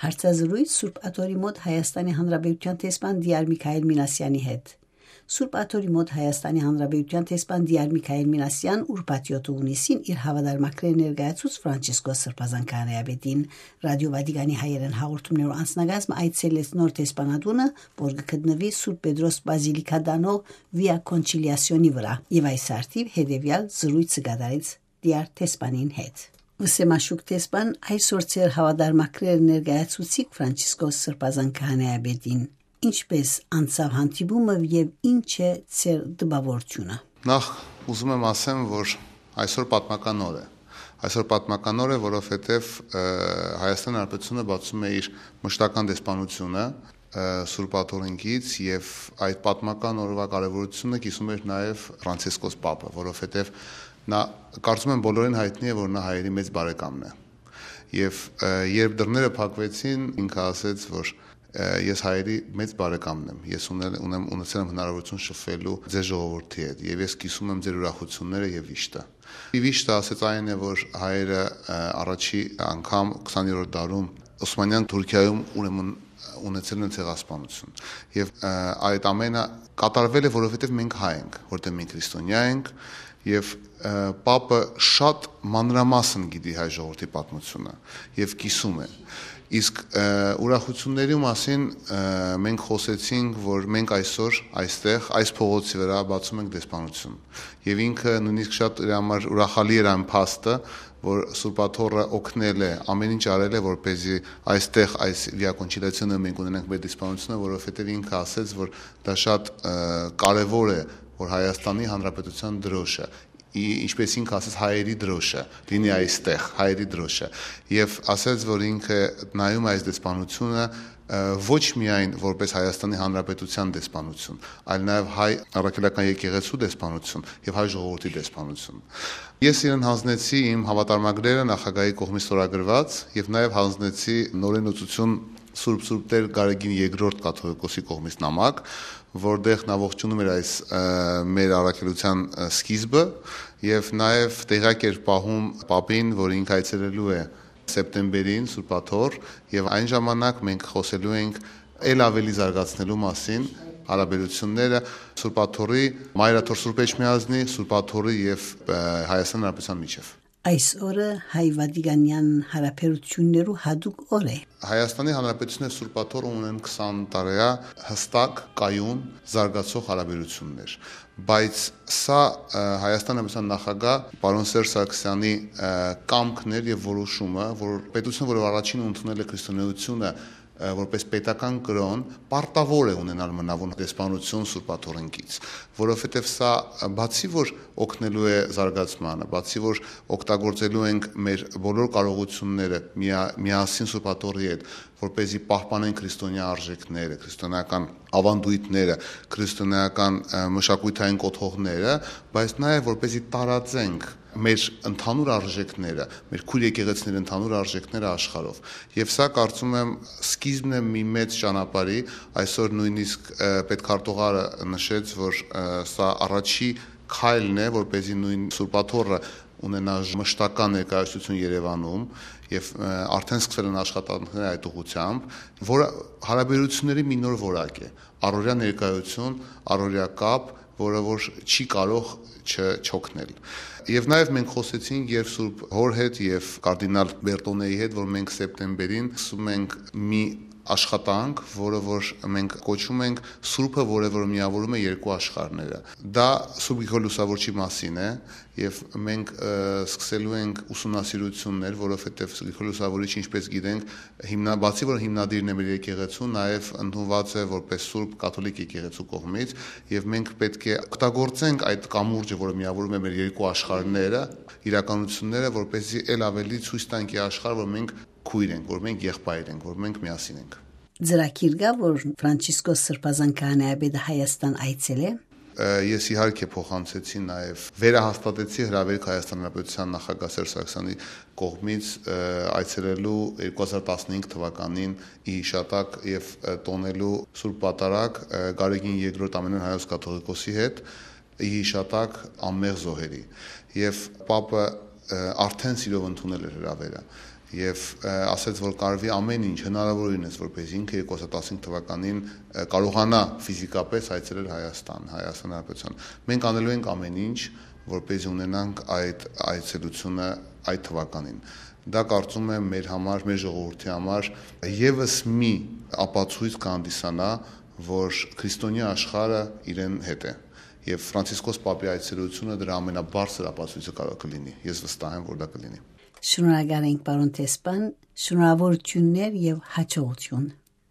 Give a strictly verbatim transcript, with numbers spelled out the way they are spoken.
Հարցազրույց Սուրբ Աթոռի մոտ Հայաստանի Հանրապետության տեսփան Դիար Միքայել Մինասյանի հետ։ Սուրբ Աթոռի մոտ Հայաստանի Հանրապետության տեսփան Դիար Միքայել Մինասյան ուրբաթ հունիսին իր հավատարմագրերը ներկայացուց Ֆրանցիսկոս Սրբազան քահանայապետին ռադիո Վատիկանի հայերեն հաղորդումներով անձնագազմը այցելեց նոր տեսփանատունը, որ կգտնվի Սուրբ Պետրոս բազիլիկա դանող Վիա Կոնչիլիասիոնի վրա, եւ այս արդիվ հետեւյալ զրույցը կատարեց Դիար տեսփանին հետ։ Վսեմաշուկ տեսփան այսօր ծեր հավատարմագրերը ներկայացուցիկ Ֆրանցիսկոս Սրբազան քահանայապետին։ Ինչպես անցավ հանդիպումը եւ ինչ է ծեր դպավորությունը։ Նախ ուզում եմ ասեմ, որ այսօր պատմական օր է։ Այսօր պատմական օր է, որովհետեւ Հայաստան Հանրապետությունը բացում է իր մշտական դեսպանությունը Սուրբ Աթոռինքից եւ այդ պատմական օրվա կարեւորությունը կիսում էր նաեւ Ֆրանցիսկոս Պապը, որովհետեւ նա կարծում եմ բոլորին հայտնի է, որ նա հայերի մեծ բարեկամն է։ Եվ երբ դռները փակվեցին, ինքը ասեց, որ ես հայերի մեծ բարեկամն եմ, ես ունել ունեմ ունեցել եմ հնարավորություն շփվելու ձեր ժողովրդի հետ եւ ես կիսում եմ ձեր ուրախությունները եւ վիշտը։ Վիշտը ասեց այն է, որ հայերը առաջի անգամ քսաներորդ դարում Օսմանյան Թուրքիայում ուրեմն ունեցել են ցեղասպանություն եւ այդ ամենը կատարվել է, որովհետեւ մենք հայ ենք, որտեղ մենք քրիստոնյա ենք եւ Պապը շատ մանրամասն գիտի հայ ժողովրդի պատմությունը եւ կիսում է։ Իսկ ուրախությունների մասին մենք խոսեցինք, որ մենք այսօր այստեղ այս փողոցի վրա բացում ենք դեսպանություն եւ ինքը նույնիսկ շատ իր համար ուրախալի էր այն փաստը, որ Սուրբ Աթոռը օգնել է, ամեն ինչ արել է, որպեսզի այստեղ այս Վիա Կոնչիլիասիոնը մենք ունենանք մեր դեսպանությունը, որովհետեւ ինքը ասեց, որ դա շատ կարեւոր է, որ Հայաստանի Հանրապետության դրոշը, ինչպես ինքը ասեց հայերի դրոշը, լինի այստեղ հայերի դրոշը, եւ ասեց, որ ինքը նայում այս դեսպանությունը ոչ միայն որպես Հայաստանի Հանրապետության դեսպանություն, այլ նաեւ հայ առաքելական եկեղեցու դեսպանություն եւ հայ ժողովրդի դեսպանություն։ Ես իրեն հանձնեցի իմ հավատարմագրերը նախագահի կողմից ստորագրված եւ նաեւ հանձնեցի նորենոցություն Սուրբ Սուրբ Տեր Գարեգին երկրորդ կաթողիկոսի կողմից նամակ, որտեղ նա ողջունում էր այս մեր առաքելության սկիզբը եւ նաեւ տեղյակ էր պահում Պապին, որ ինքը այցելելու է սեպտեմբերին Սուրբ Աթոռ եւ այն ժամանակ մենք խոսելու ենք ել ավելի զարգացնելու մասին հարաբերությունները Սուրբ Աթոռի, Մայրաթոռ Սուրբ Էջմիածնի, Սուրբ Աթոռի եւ Հայաստան Հանրապետության միջեւ։ Այս օրը հայ վատիկանյան հարաբերություններու հadoop օր է։ Հայաստանի Հանրապետությունը Սուրբ Աթոռը ունեն քսան տարեա հստակ կայուն զարգացող հարաբերություններ, բայց սա Հայաստան Հանրապետության նախագահ պարոն Սերժ Սարգսյանի կամքն էր եւ որոշումը, որ պետությունը, որը առաջին ընդունել է քրիստոնեությունը որպես պետական կրոն, պարտավոր է ունենալ մնավոր դեսպանություն Սուրբ Աթոռինքից, որովհետև սա բացի որ օգնելու է զարգացմանը, բացի որ օգտագործելու ենք մեր բոլոր կարողությունները միասին Սուրբ Աթոռի հետ, որպեսզի պահպանեն քրիստոնյա արժեքները, քրիստոնեական ավանդույթները, քրիստոնեական մշակութային կոթողները, բայց նաև որպեսզի տարածենք մեր ընդհանուր արժեքները, մեր քույր եկեղեցիների ընդհանուր արժեքները աշխարհով։ Եվ սա կարծում եմ սկիզբն է մի մեծ ճանապարհի, այսօր նույնիսկ պետքարտուղարը նշեց, որ սա առաջի քայլն է, որպեսզի նույն Սուրբ Աթոռը ունենա մշտական ներկայացություն Երևանում եւ արդեն սկսել են աշխատանքները այդ ուղղությամբ, որը հարաբերությունների մի նոր որակ է, առօրյա ներկայություն, առօրյա կապ, որը որ չի կարող չօգնել։ Եվ նաև մենք խոսեցինք եւ Սուրբ Հոր հետ եւ կարդինալ Բերտոնեի հետ, որ մենք սեպտեմբերին սկսում ենք մի աշխատանք, որը որ մենք կոչում ենք Սուրբը, որը որ միավորում է երկու աշխարհները։ Դա Սուրբ Գրիգոր Լուսավորչի մասին է եւ մենք սկսելու ենք ուսումնասիրություններ, որովհետեւ Գրիգոր Լուսավորիչը, ինչպես գիտենք, հիմնա բացի որ հիմնադիրն է մեր եկեղեցու, նաեւ ընդունված է որպես Սուրբ կաթոլիկ եկեղեցու կողմից եւ մենք պետք է օգտագործենք այդ կամուրջը, որը միավորում է մեր երկու աշխարհները, իրականությունները, որպեսզի ել ավելի ցույց տանք աշխարհ, որ մենք քույր ենք, որ մենք եղբայր ենք, որ մենք միասին ենք։ Ձրակիր գա, որ Ֆրանցիսկոս Սրբազան քահանայապետը Հայաստան այցել է։ Ես իհարկե փոխանցեցի նաև վերահաստատեցի հրավերք Հայաստան Հանրապետության նախագահ Սերժ Սարգսյանի կողմից այցելելու երկու հազար տասնհինգ թվականին ի հիշատակ եւ տոնելու Սուրբ Պատարագ Գարեգին երկրորդ ամենայն հայոց կաթողիկոսի հետ ի հիշատակ անմեղ զոհերի եւ Պապը արդեն սիրով ընդունել էր հրավերը եւ ասաց, որ կարվի ամեն ինչ հնարավորինս, որպես ինքը երկու հազար տասնհինգ թվականին կարողանա ֆիզիկապես այցելել Հայաստան, Հայաստան Հանրապետության։ Մենք անելու ենք ամեն ինչ, որպես ունենանք այդ այցելությունը այդ թվականին։ Դա կարծում եմ մեր համար, մեր ժողովրդի համար եւս մի ապացույց կհանդիսանա, որ քրիստոնյա աշխարհը իրեն հետ է։ Եվ Ֆրանցիսկոս Պապի այցելությունը դրա ամենաբարձր ապացույցը կարող կլինի։ Ես վստահ եմ, որ դա կլինի։ Շնորհակալ ենք, պարոն Տեսպան, շնորհավորություններ եւ հաջողություն։